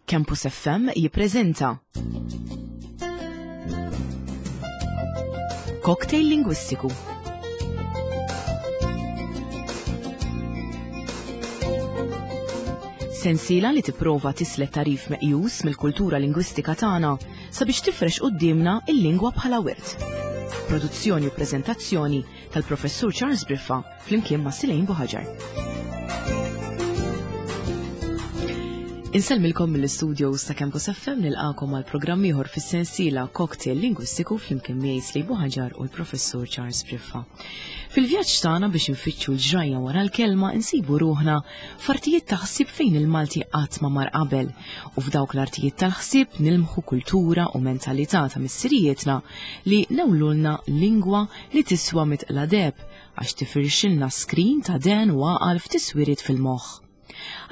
Campus FM jippreżenta Cocktail Lingwistiku. Sensiela li tipprova tislet tarif meqjus mill-kultura lingwistika tagħna sabiex tifrex quddiemna il-lingwa bħala wirt. Produzzjoni u preżentazzjoni tal-Professur Charles Briffa flimkien ma' Silejn Buħaġar. Insellmilkom mill-istudios ta' Campus FM nilqakom għal programm ieħor fis-sensiela Cocktail Lingwistiku flimkien miegħi Slej Buħaġar u l-Professur Charles Briffa. Fil-vjaġġ tagħna biex infittxu l-ġrajja wara l-kelma insibu ruħna f'artijiet ta' ħsieb fejn il-Malti qatt ma mar qabel u f'dawk l-artijiet tal-ħsieb nilmħu kultura u mentalità ta' missirijietna li newlulna lingwa li tiswa mitqla deheb għax tifirxilna skrin ta' dehen u għaqal f'tiswiriet fil-moħħ.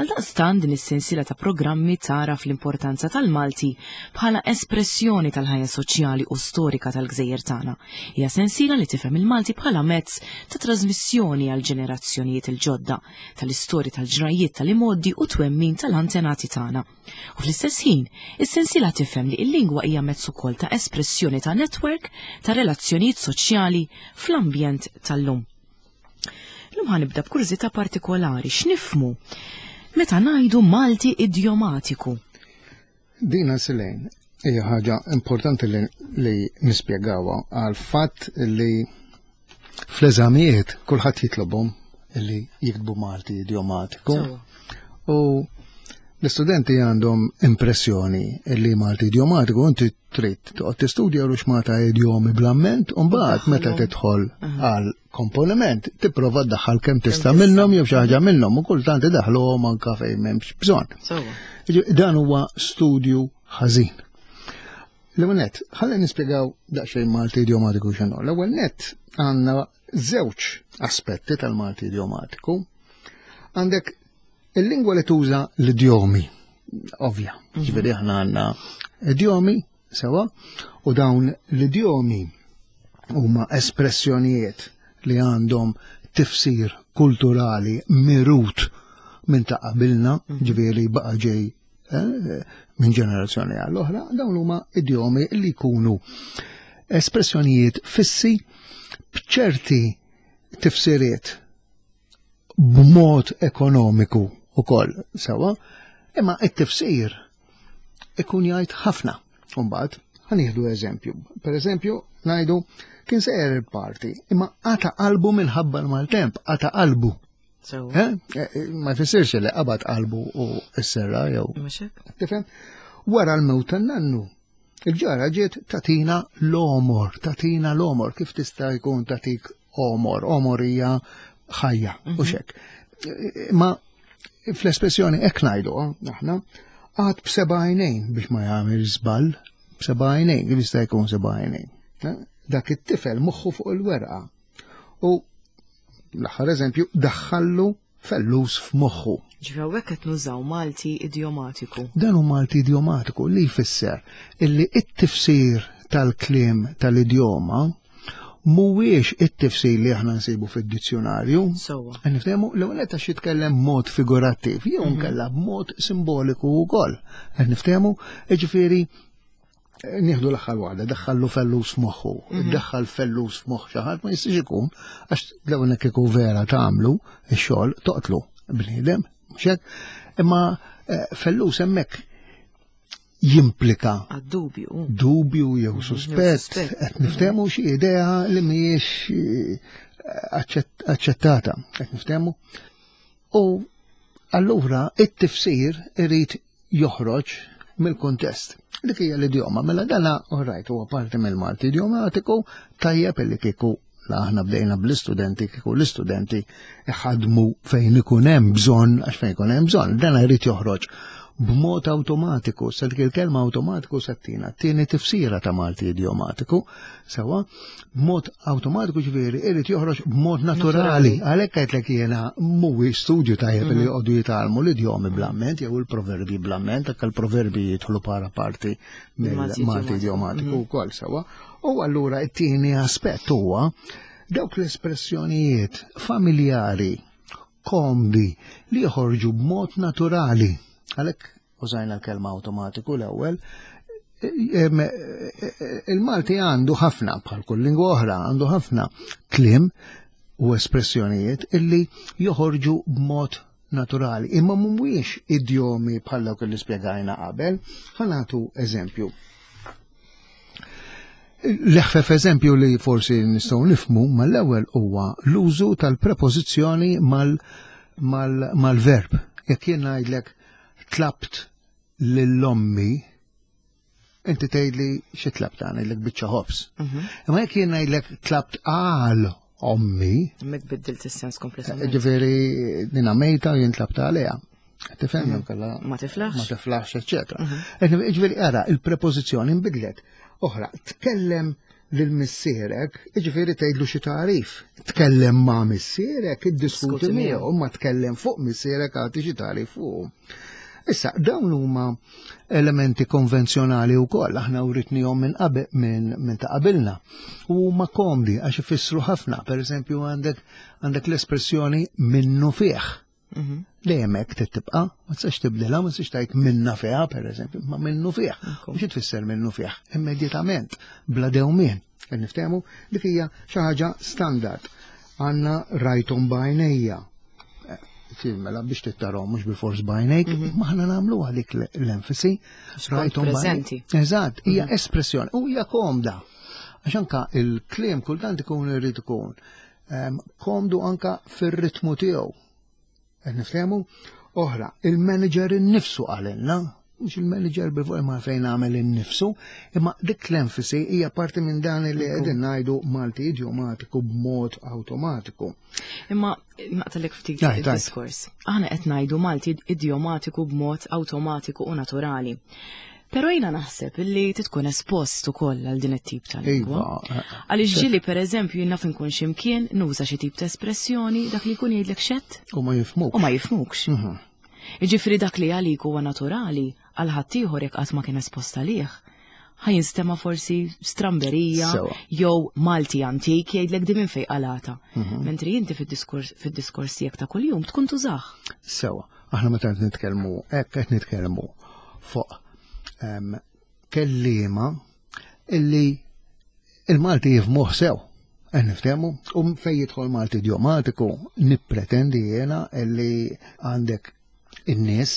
Għaldaqstant din is-sensiela ta' programmi tagħraf l-importanza tal-Malti bħala espressjoni tal-ħajja soċjali u storika tal-gżejjer tagħna. Hija sensiela li tifhem il-Malti bħala mezz ta' trasmissjoni għal ġenerazzjonijiet il-ġodda tal-istorja tal-ġrajjiet tal-imgħoddi u twemmin tal-antenati tagħna. U fl-istess ħin, is-sensiela tifhem li l-lingwa hija mezz ukoll ta' espressjoni ta' netwerk ta' relazzjonijiet soċjali fl-ambjent tal-lum. Lum ħanibda b'kurżità partikolari x'nifmu meta ngħidu Malti idjomatiku. Dina Silejn hija ħaġa importanti li, li nispjegawha għal fatt li fl-eżamijiet kulħadd jitlobhom li jiktbu Malti idjomatiku. U l-istudenti għandhom impressjoni li Malti idjomatiku inti trid toqgħod tistudja ruxmata idjomi bl-amment u mbagħad meta tidħol għal komponiment tipprova ddaħħal kemm tista' minnhom jew xi ħaġa minnhom u kultant idaħħluhom anke fejn m'hemmx bżonn. Dan huwa studju ħażin. L-ewwel nett, ħalli nispjegaw daqsxejn Malti idjomatiku x'inhu. L-ewwel nett għandna żewġ aspetti tal-Malti idjomatiku. Għandek il-lingwa li tuża l-idjomi, ovvja, mhm. ġifieri aħna għandna idjomi sewa, u dawn l-idjomi huma espressjonijiet li għandhom tifsir kulturali mirut minn ta' qabilna, mhm. ġifieri baqa' ġej eh, minn ġenerazzjoni għall oħra, dawn huma idjomi li jkunu espressjonijiet fissi b'ċerti tifsiriet b'mod ekonomiku ukoll sewa, imma it-tifsir ikun jgħid ħafna. Umbagħad ħanieħdu eżempju. Per eżempju, ngħidu kien sejjer il-parti, imma qata qalbu minħabba l-maltemp, qata qalbu. Eh? Eh, eh, ma jfissirx li qabad qalbu u s-serra jew. Tifhem? Wara l-mewt tan-nannu, Il-ġara ġiet tatina l-omor, tatina l-omor, kif tista' jkun tatik omor, omor hija ħajja u mhm. xek. Ma fl-espressjoni hekk ngħidu aħna għad b'seba' għajnejn biex ma jagħmel żball, b'seba' għajnejn, kif jista' jkun seba' għajnejn. Eh? Dak it-tifel moħħu fuq il-werqa. U l-aħħar eżempju daħħallu fellus f'moħħu. Ġifieri hawnhekk qed nużaw Malti idjomatiku. Dan hu Malti idjomatiku li jfisser illi it-tifsir tal-kliem tal-idjoma mhuwiex it-tifsir li aħna nsibu fid-dizzjonarju. Sewwa. Niftehmu l-ewwel qed għax jitkellem mod figurattiv jew mhm. nkella b'mod simboliku wkoll. Qed niftehmu, jiġifieri Nieħdu l-aħħar waħda, daħħallu fellus f'moħħu. Mhm. Daħħal fellus f'moħħ xi ħadd ma jistax ikun għax l-ewwel kieku vera tagħmlu x-xogħol toqtlu bniedem, mhux hekk? Imma eh, fellus hemmhekk jimplika dubju. Dubju jew mhm, suspett, qed niftehmu xi idea li mhijiex eh, aċċettata, qed niftehmu. U allura it-tifsir irid joħroġ mill-kuntest. Dik hija l-idjoma, mela dana rajt huwa parti mill-Malti idjomatiku tajjeb illi kieku la aħna bdejna bl-istudenti kieku l-istudenti iħadmu fejn ikun hemm bżonn għax fejn ikun hemm bżonn, dana jrid joħroġ b'mod awtomatiku, sa dik il-kelma awtomatiku sattina tieni tifsira ta' Malti idjomatiku, Sewa, b'mod awtomatiku ġifieri irid joħroġ b'mod naturali. Għalhekk għedlek jiena mhuwiex studju tajjeb li mhm. joqogħdu jitgħallmu l-idjomi bl-amment jew il-proverbi bl-amment, hekk il-proverbi jidħlu para parti mill-Malti idjomatiku mhm. wkoll sewa. U allura t-tieni aspett huwa dawk l-espressjonijiet familjari komdi li joħorġu b'mod naturali. Għalhekk. użajna l-kelma awtomatiku l-ewwel. Il-Malti għandu ħafna, bħal kull lingwa oħra, għandu ħafna kliem u espressjonijiet illi joħorġu b'mod naturali, imma mhumiex idjomi bħal dawk li spjegajna qabel. Ħa nagħtu eżempju. L-eħfef eżempju li forsi nistgħu nifhmu mal-ewwel huwa l-użu tal-prepożizzjoni mal-verb. Jekk jien ngħidlek tlabt lil ommi, inti tgħidli xi tlabt ngħidlek biċċa ħobż. Imma jekk jien ngħidlek tlabt għal ommi. Hemmhekk biddilt is-sens kompletament. Ġifieri dina mejta u jien tlabt għaliha. Tifhem jew kellha Ma tiflaħx. Ma tiflaħx, eċċetera. Ġifieri ara, il-prepożizzjoni nbidlet. Oħra, tkellem lil missierek, ġifieri tgħidlu xi tagħrif. Tkellem ma' missierek, iddiskuti miegħu, ma tkellem fuq missierek agħti xi tagħrif fuq. Issa, dawn huma elementi konvenzjonali wkoll, aħna writnihom minn qabel minn ta' qabilna. U huma komdi għax ifissru ħafna, pereżempju għandek għandek l-espressjoni minnu fih. Dejjem hekk trid tibqa', ma tistax tibdilha, ma tistax tgħid minna fiha pereżempju, ma minnu fih. U xi tfisser minnu fih? Immedjatament, bla dewmien. Qed niftehmu dik hija xi ħaġa standard. Għandna rajthom b'għajnejja. Mela biex tittarhom mhux bil-fors b'għajnejk, ma aħna nagħmluha dik l-enfasi. Rajthom preżenti. Eżatt, hija espressjoni u hija komda. Għax anka il-kliem kultant ikun irid ikun komdu anka fir-ritmu tiegħu. Qed niftehmu? Oħra, il-manager innifsu qalilna, mhux il-manager bil imma fejn għamel innifsu, imma dik l-enfasi hija parti minn dan li qegħdin ngħidu Malti idjomatiku b'mod awtomatiku. Imma naqtalek ftit il-diskors. Aħna qed ngħidu Malti idjomatiku b'mod awtomatiku u naturali. Però jiena naħseb illi titkun espost ukoll għal din it-tip ta' lingwa. Iva, Għaliex ġieli pereżempju jien naf inkun x'imkien nuża xi tip ta' espressjoni dak li jkun jgħidlek xett U ma jifhmuk. u ma jifhmukx. Jiġifieri dak li għalik huwa naturali għal ħaddieħor jekk qatt ma kien espost għalih. Ħa jinstema' forsi stramberija jew Malti antik jgħidlek di minn fejn qalata. Mentri inti fid-diskors fid-diskors tiegħek ta' kuljum tkun tużah. Sewa, aħna meta qed nitkellmu hekk qed nitkellmu fuq kelliema illi il-Malti jifhmuh sew. Qed niftehmu u fejn jidħol Malti idjomatiku nippretendi jiena illi għandek in-nies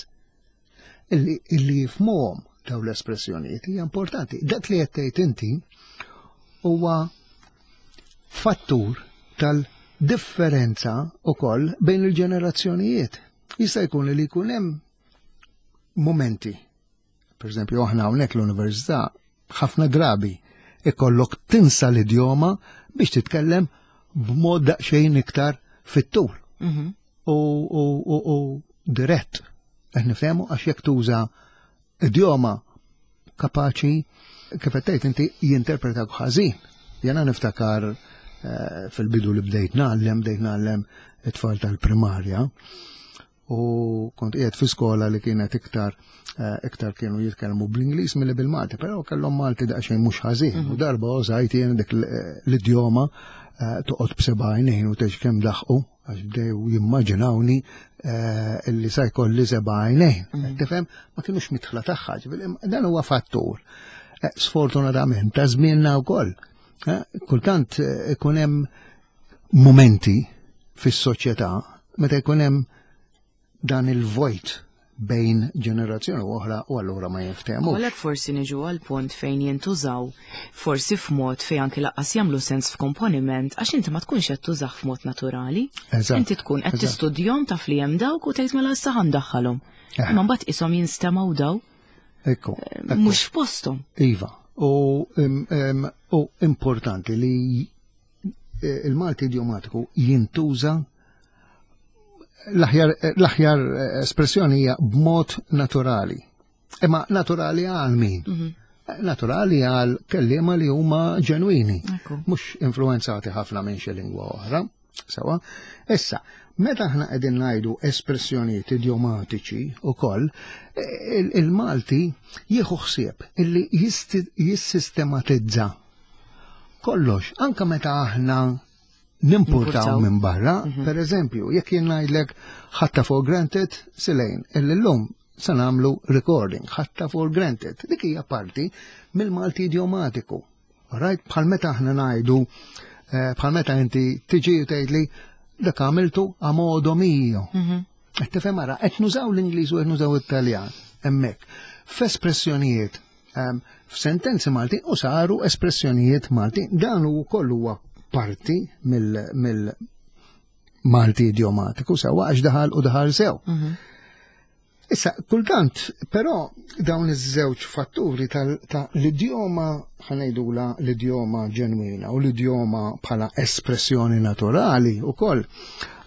illi illi jifhmuhom daw l-espressjonijiet hija importanti. Dak li qed tgħid inti huwa fattur tal-differenza ukoll bejn il-ġenerazzjonijiet. Jista' jkun li jkun hemm momenti. Per eżempju, aħna hawnhekk l-università ħafna drabi ikollok tinsa l-idjoma biex titkellem b'mod daqsxejn iktar fit-tul. U, u, u, u dirett. Qed nifhemu għax jekk tuża idjoma kapaċi kif qed tgħid inti jinterpretak ħażin. Jena niftakar fil-bidu li bdejt ngħallem, bdejt ngħallem it-tfal tal-primarja u kont qiegħed fi skola li kienet iktar iktar kienu jitkellmu bl-Ingliż milli bil-Malti, però kellhom Malti daqsxejn mhux ħażin. U darba użajt jien dik l-idjoma toqgħod b'seba' għajnejn u tgħix kemm daħqu għax bdew jimmaġinawni illi sa jkolli seba' għajnejn. Tifhem, ma kienux mitħla tagħha, ġifieri, dan huwa fattur. Sfortunatament ta' żmienna wkoll. Kultant ikun hemm momenti fis-soċjetà meta jkun hemm dan il-vojt bejn ġenerazzjoni u oħra u allura ma jinftehmux. Għalhekk forsi niġu għal punt fejn jintużaw forsi f'mod fejn anki lanqas jagħmlu sens f'komponiment għax inti ma tkunx qed tużah f'mod naturali. Inti tkun qed tistudjahom taf li hemm dawk u tgħid mela issa ħandaħħalhom. Imma mbagħad ishom jinstemgħu daw. Mhux f'posthom. Iva, u importanti li il-Malti idjomatiku jintuża l-aħjar espressjoni hija b'mod naturali. Imma naturali għal min? Naturali għal kelliema li huma ġenwini, mhux influenzati ħafna minn xi lingwa oħra. Sewa. Issa, meta aħna qegħdin ngħidu espressjonijiet idjomatiċi ukoll, il-Malti jieħu ħsieb illi jissistematizza kollox, anka meta aħna nimpurtaw minn barra, per eżempju, jekk jien ngħidlek ħadtha for granted, silejn, illi llum se nagħmlu recording, ħatta for granted. Dik hija parti mill-Malti idiomatiku. Right? Bħal meta aħna ngħidu, eh, bħal meta inti tiġi u tgħidli dak għamiltu a modo mio. Mhm. Qed tifhem ara, qed nużaw l-Ingliż u qed nużaw it-Taljan hemmhekk. F'espressjonijiet ehm, f'sentenzi Malti u saru espressjonijiet Malti. Dan u kollu huwa parti mill Malti idiomatiku sewa għax daħal u daħal sew. Mhm. Issa, kultant, però dawn iż-żewġ fatturi ta' l-idjoma ħanejdula l-idjoma ġenwina u l-idjoma bħala espressjoni naturali u koll,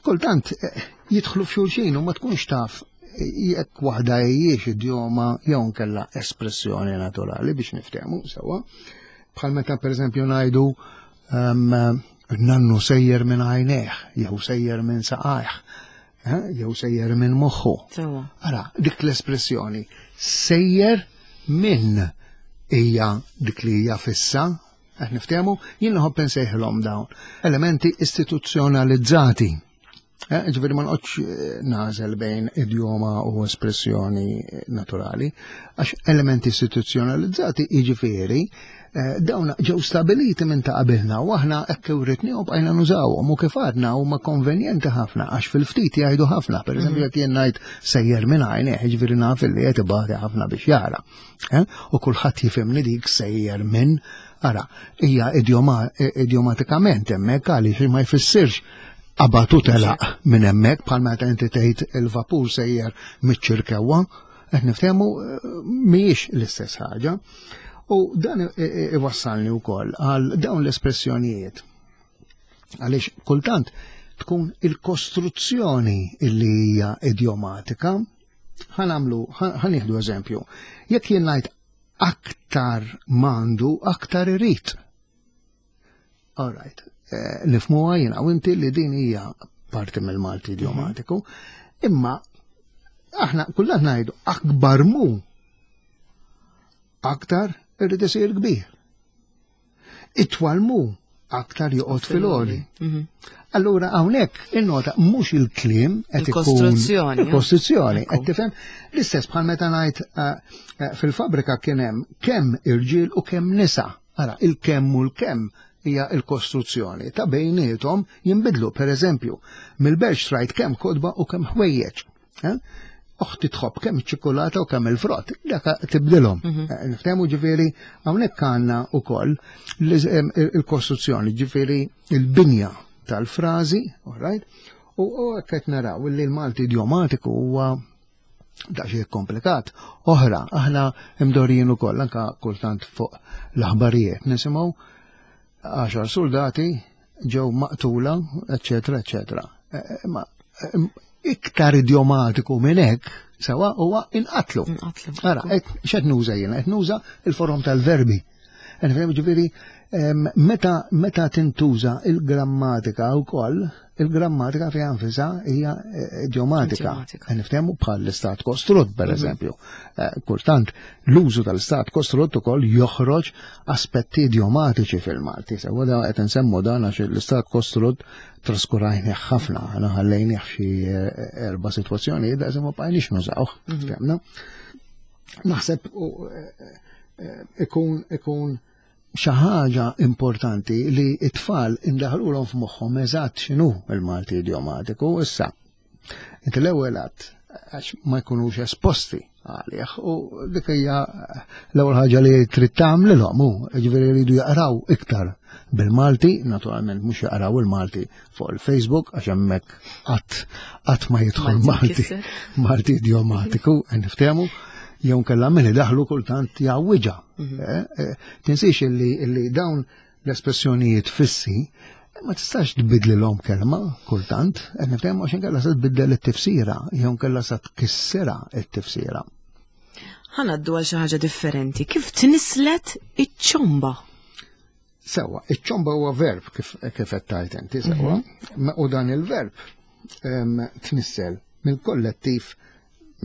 kultant eh, jidħlu f'xulxin u ma tkunx taf jekk waħda hijiex idjoma jew nkella espressjoni naturali biex niftehmu sewwa. Bħal meta pereżempju ngħidu ehm, nannu sejjer minn għajnejh jew sejjer minn saqajh. Eh, jew sejjer minn moħħu. Ara, dik l-espressjoni sejjer minn hija dik li hija fissa, qed niftehmu, jien nħobb insejħilhom dawn. Elementi istituzzjonalizzati. Eh, ġifieri ma noqgħodx eh, nażel bejn idjoma u espressjoni naturali, għax elementi istituzzjonalizzati jiġifieri Eh, dawn ġew stabiliti minn ta' qabilna u aħna hekk iwritni u bqajna nużawhom u kif għadna huma konvenjenti ħafna għax fil-ftit jgħidu ħafna. Per eżempju mhm. jekk jien ngħid sejjer minn għajneh, jiġifieri naf li qed ibati ħafna biex jara. Eh? U kulħadd jifhimni dik sejjer minn ara, hija idjomatikament hemmhekk għaliex ma jfissirx qabad u telaq minn hemmhekk bħal meta inti tgħid il-vapur sejjer miċ-ċirkewwa, qed niftehmu eh, mhijiex l-istess ħaġa. U dan iwassalni wkoll għal dawn l-espressjonijiet. Għaliex kultant tkun il-kostruzzjoni illi hija idjomatika. Ħanamlu, ħanieħdu eżempju. Jekk jien ngħid aktar mandu, aktar irid. All right. Eh, nifmuha jiena u inti li din hija parti mill-Malti idiomatiku, imma aħna kullant ngħidu akbar mu aktar irrid isir kbir. Itwal mu aktar joqgħod fil-għoli. Mhm. Allura hawnhekk innota mhux il-kliem qed ikun il-kostruzzjoni. Il-kostruzzjoni qed tifhem l-istess bħal meta ngħid eh, eh, fil-fabrika kien hemm kemm irġiel u kemm nisa. Ara, il-kemm u l-kemm hija l-kostruzzjoni ta' bejniethom jinbidlu, per eżempju, mill-belt xtrajt kemm kotba u kemm ħwejjeġ. Eh? Oħti tħobb kemm iċ-ċikolata u kemm il-frott, dak tibdilhom. Mhm. Eh, niftehmu ġifieri hawnhekk għandna wkoll il-kostruzzjoni, ġifieri il-binja tal-frażi, all right? U hekk qed naraw li l-Malti idiomatiku huwa daqsxejn komplikat. Oħra, aħna imdorijin ukoll anka kultant fuq l-aħbarijiet nisimgħu għaxar soldati ġew maqtula, eċetera, eċetera. Eh, eh, ma eh, iktar idiomatiku minn hekk sewa huwa inqatlu. Ara, x'qed nuża jiena? Qed nuża il-forom tal-verbi. Ġifieri, meta meta tintuża il-grammatika wkoll, il-grammatika fiha nfisha hija eh, idiomatika. Niftehmu bħal l-istat kostrutt, per mhm. eżempju. Eh, kultant, l-użu tal-istat kostrutt ukoll joħroġ aspetti idiomatiċi fil-Malti. Sewa da qed insemmu dan għax l-istat kostrutt traskurajni ħafna, aħna ħallejnih xi eh, erba' sitwazzjonijiet daqs ma bqajniex nużawh, mhm. fehmna. Naħseb ikun ikun xi ħaġa importanti li t-tfal indaħlulhom f'moħħhom eżatt x'inhu il-Malti idiomatiku issa. Inti l-ewwel għadd għax ma jkunux esposti għalih u dik hija l-ewwel ħaġa li trid tagħmlilhom hu, jiġifieri jridu jaqraw iktar bil-Malti, naturalment mhux jaqraw il-Malti fuq il-Facebook għax hemmhekk qatt qatt ma jidħol Malti Malti idiomatiku, niftehmu, jew kellha min idaħlu kultant jgħawwiġha. Mhm. Eh, eh, tinsiex illi dawn l-espressjonijiet fissi ma tistax tbidlilhom kelma kultant, qed niftehmu għax inkella se tbiddel it-tifsira, jew inkella se tkissirha it-tifsira. Ħanaddu għal xi ħaġa differenti. Kif tnislet iċ-ċomba? Sewa, iċ-ċomba huwa verb kif kif qed tgħid inti sewa, mhm. u dan il-verb tnissel mill-kollettiv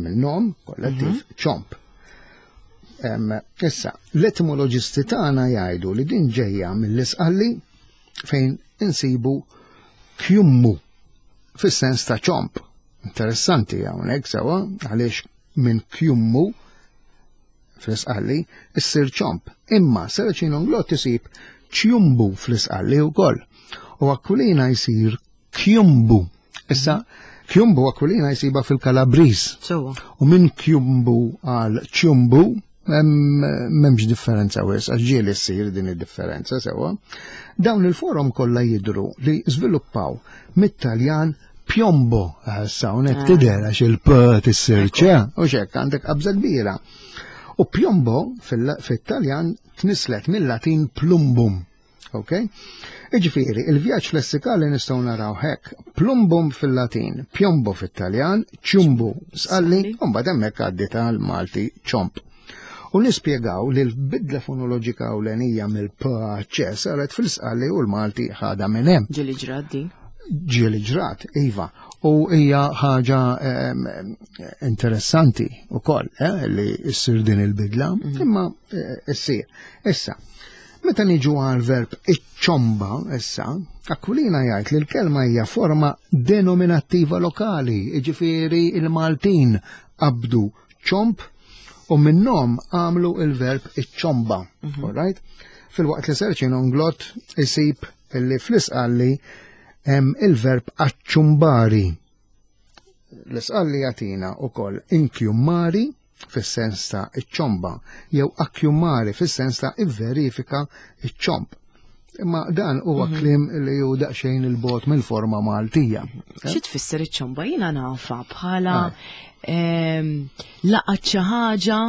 mill-nom kollettiv mhm. ċomb. Issa, l-etimoloġisti tagħna jgħidu li din ġejja mill-isqalli fejn insibu kjummu fis-sens ta' ċomb. Interessanti hawnhekk sewa għaliex minn kjummu fl-Isqalli issir ċomp. Imma Serraċin Unglott isib ċjumbu fl-Isqalli wkoll. U Aquilina jsir kjumbu. Issa, kjumbu Aquilina jsiba fil-Kalabriż. U minn kjumbu għal ċjumbu m'hemmx differenza wis, għax ġieli ssir din id-differenza sewwa. Dawn il-forom kollha jidhru li żviluppaw mit-Taljan piombo, issa hawnhekk ah. tidher għax il-p tissir ċe, u xek għandek qabża kbira. U piombo fit-Taljan tnislet mill-Latin plumbum. Ok? Iġifieri, il-vjaġġ lessikali nistgħu naraw hekk, plumbum fil-Latin, piombo fit-Taljan, ċumbu sqalli, u mbagħad hemmhekk għaddi tal-Malti ċomp. U nispjegaw li l-bidla fonoloġika ewlenija mill-PHC saret fil-sqalli u l-Malti ħada minn hemm. Ġieli ġrat din? Ġieli ġrat, iva. U hija ħaġa interessanti wkoll eh, li ssir din il-bidla, mhm. imma eh, ssir. Issa, Meta niġu għal verb iċ-ċomba issa, Aquilina jgħid li l-kelma hija forma denominattiva lokali, jiġifieri il-Maltin qabdu ċomb u minnhom għamlu il-verb iċ-ċomba. Mhm. All right? Filwaqt li Serċin Unglott isib li fl-isqalli hemm il-verb aċċumbari. L-isqalli jagħtina wkoll inkjummari fis-sens ta' iċ-ċomba jew akkjummari fis-sens ta' ivverifika iċ-ċomb. Imma dan huwa mhm. kliem li hu daqsxejn il-bot mill-forma Maltija. Xi tfisser iċ-ċomba? Jiena nafa bħala ehm, laqgħet xi ħaġa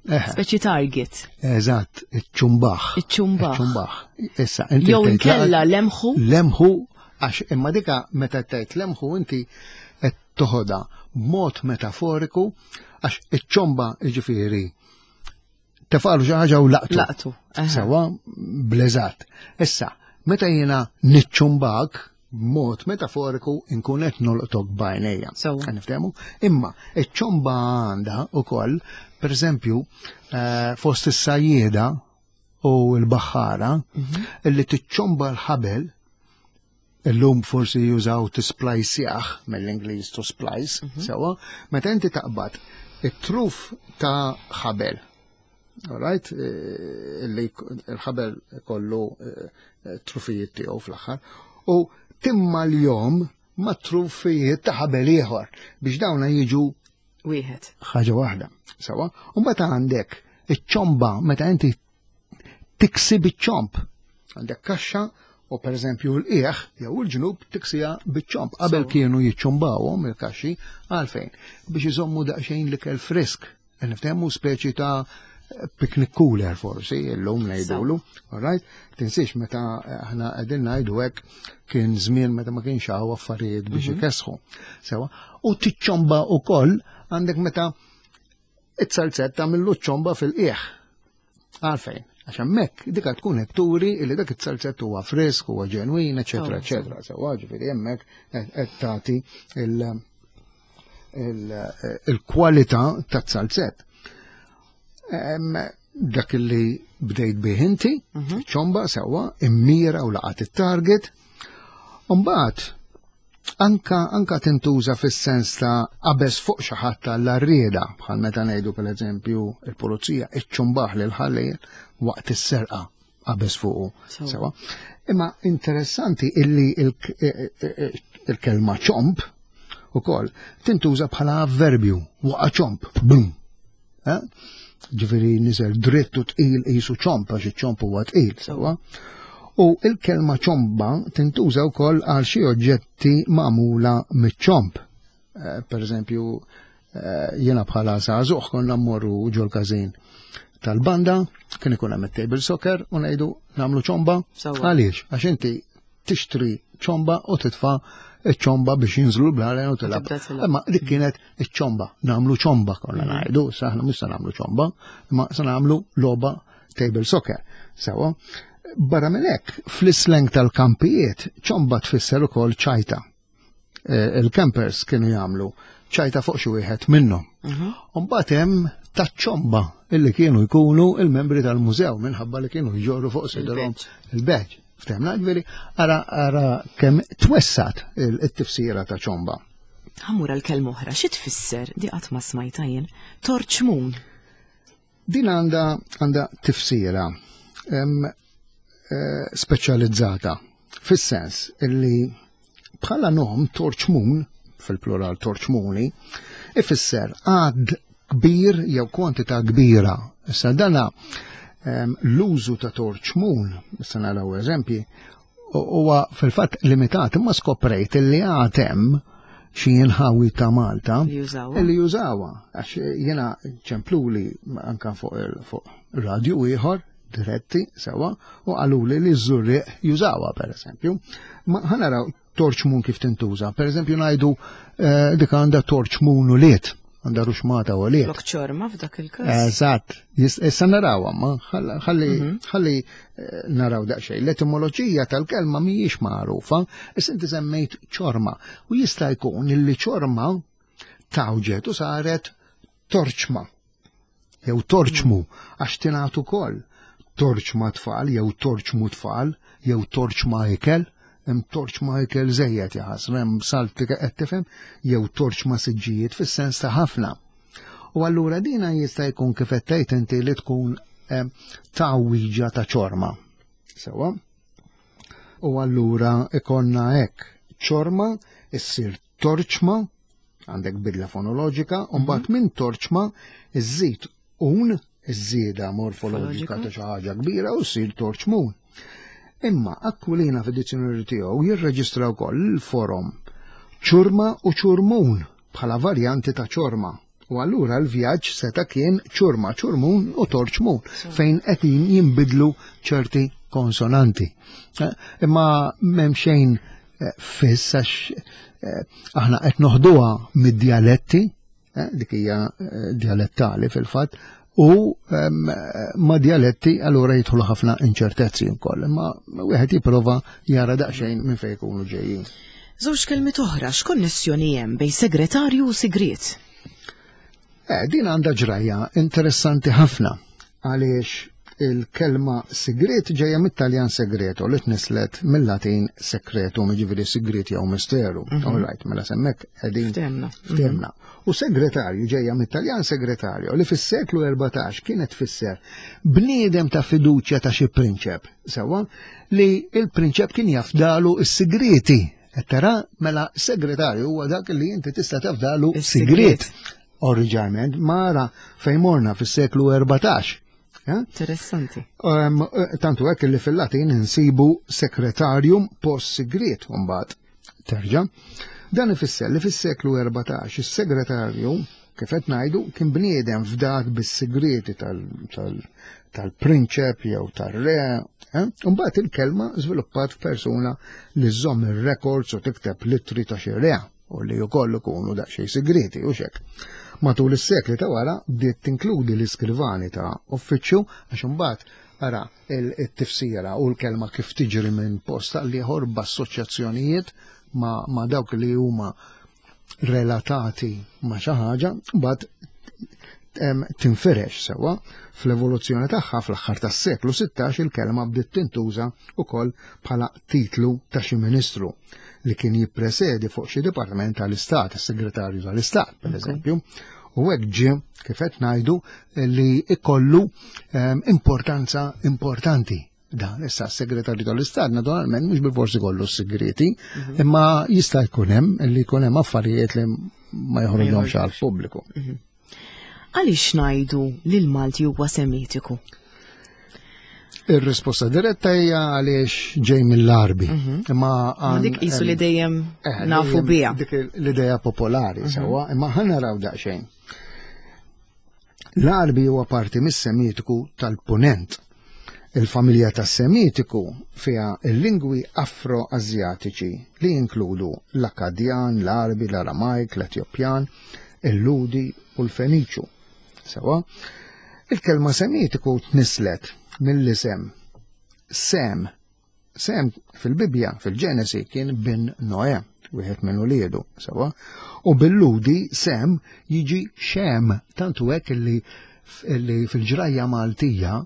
Speċi target. Eżatt, iċ-ċumbaħ. Iċ-ċumbaħ. Iċ-ċumbaħ. Issa, inti Jew inkella lemħu. Lemħu, għax imma dika meta tgħid lemħu inti qed toħodha b'mod metaforiku għax iċ-ċomba jiġifieri tefalu xi ħaġa u laqtu. Laqtu. Sewa bleżat. Issa, meta jiena niċċumbak b'mod metaforiku nkun qed nolqtok b'għajnejja. Sewa. Niftehmu? Imma iċ-ċomba għandha ukoll, pereżempju, eh, fost is-sajjieda u l-baħħara mhm. illi tiċċomba l-ħabel Illum forsi jużaw tisplajsjah mill-Ingliż to splice, mhm. sewa, meta inti taqbad it-truf ta' ħabel. Alright, eh, illi il-ħabel kollu eh, trufijiet tiegħu fl-aħħar, u timma l-jom ma' trufijiet ta' ħabel ieħor biex dawna jiġu wieħed. Ħaġa waħda, sewa. U meta għandek iċ-ċomba meta inti tiksi biċ-ċomp. Għandek kaxxa u per eżempju l-qieħ jew il-ġnub tiksija biċ-ċomp. Qabel kienu jiċċumbawhom il-kaxxi għalfejn biex iżommu daqsxejn l-ikel frisk. Niftehmu speċi ta' picnic cooler forsi, illum ngħidulu, all right? Tinsiex meta aħna qegħdin ngħidu hekk kien żmien meta ma kienx hawn affarijiet biex mhm. ikesħu. Sewa, u tiċċomba wkoll għandek meta It-salzett tagħmillu ċ-ċomba fil-qiegħ. Għalfejn? Għax hemmhekk dika tkun qed turi li dak it-salzett huwa frisk, huwa ġenwin, eċetera, eċetera. Sewwa ġifieri hemmhekk qed tagħti il-kwalità tat-salzett. Dak li bdejt bih inti, mhm. ċomba sewwa, immira u laqat it-target. Mbagħad Anka anka tintuża fis-sens ta' qabeż fuq xi ħadd għall-għarrieda, bħal meta ngħidu pereżempju il-pulizija iċċumbaħ lil ħallejl waqt is-serqa qabeż fuqu. Sewa. Imma interessanti illi il-kelma ċomp ukoll tintuża bħala avverbju waqa' ċomp, bum. Eh? Ġifieri niżel dritt u tqil qisu ċomp għax iċ-ċomp huwa tqil, sewwa. U il-kelma ċomba tintuża wkoll għal xi oġġetti magħmula miċ-ċomp. Eh, per eżempju, eh, jiena bħala żagħżugħ konna mmorru ġol-każin tal-banda, kien ikun hemm it-table soccer u ngħidu nagħmlu ċomba. Għaliex? Għax inti tixtri ċomba u titfa' iċ-ċomba biex jinżlu l-blalen u tilab. Imma dik kienet iċ-ċomba, nagħmlu ċomba konna mhm. ngħidu, sa aħna mhux se nagħmlu ċomba, imma se nagħmlu logħba table soccer. Sewa, barra minn hekk, fl-islang tal-kampijiet, ċomba tfisser ukoll ċajta. Eh, il-campers kienu jagħmlu ċajta fuq xi wieħed minnhom. Mhm. Mbagħad hemm taċ-ċomba illi kienu jkunu il-membri tal-mużew minħabba li kienu jġorru fuq sidrhom il-badge. Ftemna ġifieri ara ara kemm twessat it-tifsira ta' ċomba. Ħamur għal kelma oħra, xi tfisser di qatt ma smajta jien? Torċmun. Din għandha għandha tifsira speċjalizzata fis-sens illi bħala nom torċmun fil-plural torċmuni ifisser għad kbir jew kwantità kbira. Issa dana l-użu ta' torċmun, issa naraw eżempji, huwa fil-fatt limitat imma skoprejt li għad hemm xi inħawi ta' Malta li jużawha għax jiena ċempluli anka fuq radio ieħor diretti sewa u qaluli li ż-Żurrieq jużawha pereżempju. Ma ħanaraw torċmun kif tintuża. Pereżempju ngħidu dik għandha torċmun u liet, għandha ruxmata u liet. Flok ċorma f'dak il-każ. Eżatt, issa narawha ma ħalli ħalli naraw daqsxejn. L-etimoloġija tal-kelma mhijiex magħrufa, issa inti semmejt ċorma u jista' jkun illi ċorma tawġet u saret torċma jew torċmu għax tingħad ukoll torċma tfal jew torċmu tfal jew torċma ikel, hemm torċma ikel żejjed jaħasra, hemm salt qed tifhem, jew torċma siġġijiet fis-sens ta' ħafna. U allura dina jista' jkun kif qed tgħid inti li tkun tgħawwiġa ta' ċorma. Sewwa? U allura ikonna hekk ċorma issir torċma, għandek bidla fonoloġika, u mbagħad minn torċma iżżid un, iż-żieda morfoloġika ta' xi ħaġa kbira u ssir torċmun. Imma Aquilina fid-dizzjonarju tiegħu jirreġistra wkoll il-forom ċurma u ċurmun bħala varjanti ta' ċorma. U allura l-vjaġġ seta' kien ċurma, ċurmun u torċmun, fejn qed jinbidlu ċerti konsonanti. Imma m'hemm xejn fiss għax aħna qed noħduha mid-dialetti, dik hija dialettali fil-fatt, u ma' dialetti allura jidħlu ħafna inċertezzi wkoll, imma wieħed jipprova jara daqsxejn minn fejn ikunu ġejjin. Żewġ kelmiet oħra, x'konnessjoni hemm bejn segretarju u sigriet? Din għandha ġrajja interessanti ħafna għaliex il-kelma sigriet ġejja mit-Taljan segreto li tnislet mill-Latin secretum, jiġifieri sigriet jew misteru. All right, mela semmek qegħdin Ftehmna. Ftehmna. U segretarju ġejja mit-Taljan segretario li fis-seklu 14 kienet tfisser bniedem ta' fiduċja ta' xi prinċep, sewwa, li il-prinċep kien jafdalu s-sigrieti. Qed tara, mela segretarju huwa dak li inti tista' tafdalu Is-sigriet. sigriet. Oriġinarjament mara fejn morna fis-seklu 14. Interessanti. Tantu hekk li fil-Latin insibu secretarium post sigriet mbagħad terġa'. Dan ifisser li fis-seklu 14 is-segretarju, kif qed ngħidu, kien bniedem fdat bis-sigrieti tal-prinċep jew tar-re. Mbagħad il-kelma żviluppat f'persuna li żżomm ir-records u tikteb littri ta' xi re u li wkoll ikunu daqsxejn sigrieti u xek. Matul is-sekli ta' wara bdiet tinkludi l-iskrivani ta' uffiċċju għax imbagħad ara il-tifsira u l-kelma kif tiġri minn post għal ieħor b'assoċjazzjonijiet ma' dawk li huma relatati ma' xi ħaġa, mbagħad tinfirex sewwa fl-evoluzzjoni tagħha fl-aħħar tas-seklu 16 il-kelma bdiet tintuża wkoll bħala titlu ta' xi ministru li kien jippresedi fuq xi dipartiment tal-Istat, is-Segretarju tal-Istat, per eżempju. U hekk ġie kif qed ngħidu li ikollu importanza importanti. Dan issa s-Segretarju tal-Istat naturalment mhux bilforsi kollu s-sigreti, imma jista' jkun hemm li jkun hemm affarijiet li ma joħroġhomx għall-pubbliku. Għaliex ngħidu li l-Malti huwa semitiku? Ir-risposta diretta hija għaliex ġej mill-Għarbi. Imma Ma dik qisu li dejjem nafu dejjem biha. Dik l-idea popolari sewwa, imma ħa naraw daqsxejn. L-Għarbi huwa parti mis-Semitiku tal-Punent. Il-familja tas-Semitiku fiha l-lingwi Afro-Asjatiċi li jinkludu l-Akkadjan, l-Għarbi, l-Aramajk, l-Etjopjan, il-Ludi u l-Feniċu. Sewwa, il-kelma Semitiku tnislet mill-isem Sem. Sem fil-Bibbja, fil-Ġenesi, kien bin Noè, wieħed minn uliedu, sewwa. U bil-Ludi Sem jiġi Xem, tantu hekk li fil-ġrajja Maltija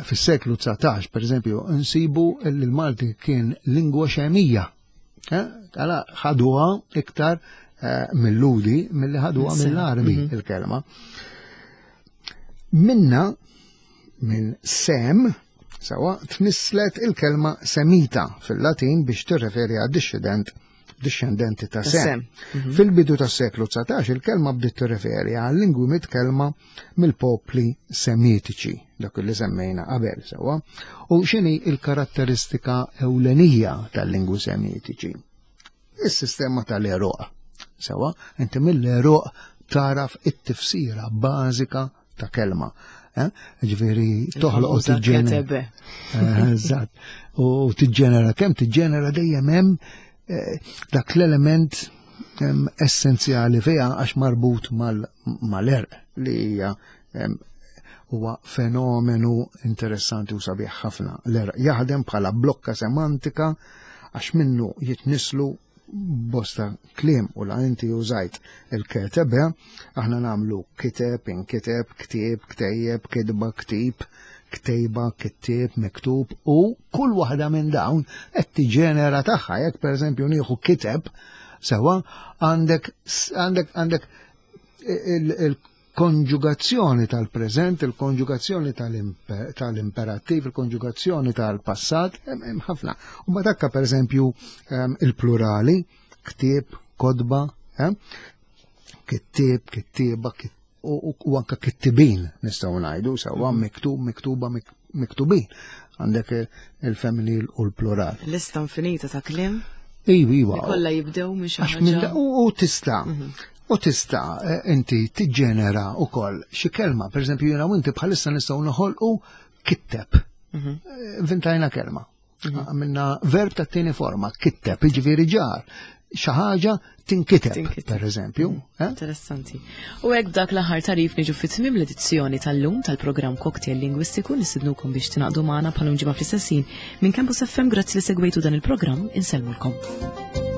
fis-seklu 19, per eżempju, nsibu li l-Malti kien lingwa xemija. Għala ħaduha iktar eh, mill-Ludi milli ħaduha mill-Arbi mhm. il-kelma. Minna minn Sem sawa tnisslet il-kelma Semita fil-Latin biex tirreferi għad discendent discendenti ta' Sem. Mhm. Fil-bidu tas seklu 19 il-kelma bdiet tirreferi għal lingwi mitkellma mill-popli semitiċi, dak li semmejna qabel sewa. U x'inhi il-karatteristika ewlenija tal-lingwi semitiċi? Is-sistema tal-eruq. Sewa, inti mill-eruq taraf it-tifsira bażika ta' kelma. Eh? Ġifieri toħloq u tiġġenera. Eh, eżatt. U tiġġenera kemm tiġġenera dejjem hemm eh, dak l-element essenzjali fiha għax marbut mal-erq li hija huwa fenomenu interessanti u sabiħ ħafna. L-erq jaħdem bħala blokka semantika għax minnu jitnislu bosta kliem u la inti użajt il-ketebe, aħna namlu kiteb, inkiteb, ktieb, ktejjeb, kitba, ktib, ktejba, kittieb, miktub u kull waħda minn dawn qed tiġenera tagħha. Jekk pereżempju nieħu kiteb, sewa għandek għandek għandek il konġugazzjoni tal-preżent, il-konġugazzjoni tal-imperattiv, il-konġugazzjoni tal-passat, hemm ħafna. U ma dakka pereżempju ehm, il-plurali, ktieb, kodba, ehm, kittieb, kittieba, u anka kittibin nistgħu ngħidu sewwa mhm. miktub, miktuba, miktubin. Għandek il-femminil u l-plural. Lista infinita ta' kliem. Iva, iva. Kollha jibdew minn xi ħaġa. U tista' mhm. U tista' eh, inti tiġġenera wkoll xi kelma, pereżempju jiena u inti bħalissa nistgħu noħolqu kitteb. Mhm. Eh, inventajna kelma. Mhm. Għamilna verb ta' tieni forma, kitteb, jiġifieri ġar. Xi ħaġa tinkiteb, per eżempju. Mhm. Eh? Interessanti. U hekk dak l-aħħar tarif niġu fit-tmiem l-edizzjoni tal-lum tal-programm Cocktail Lingwistiku nistidnukom biex tingħaqdu magħna bħal ġimgħa fl-istessin minn Campus FM grazzi li segwejtu dan il-programm insellmulkom.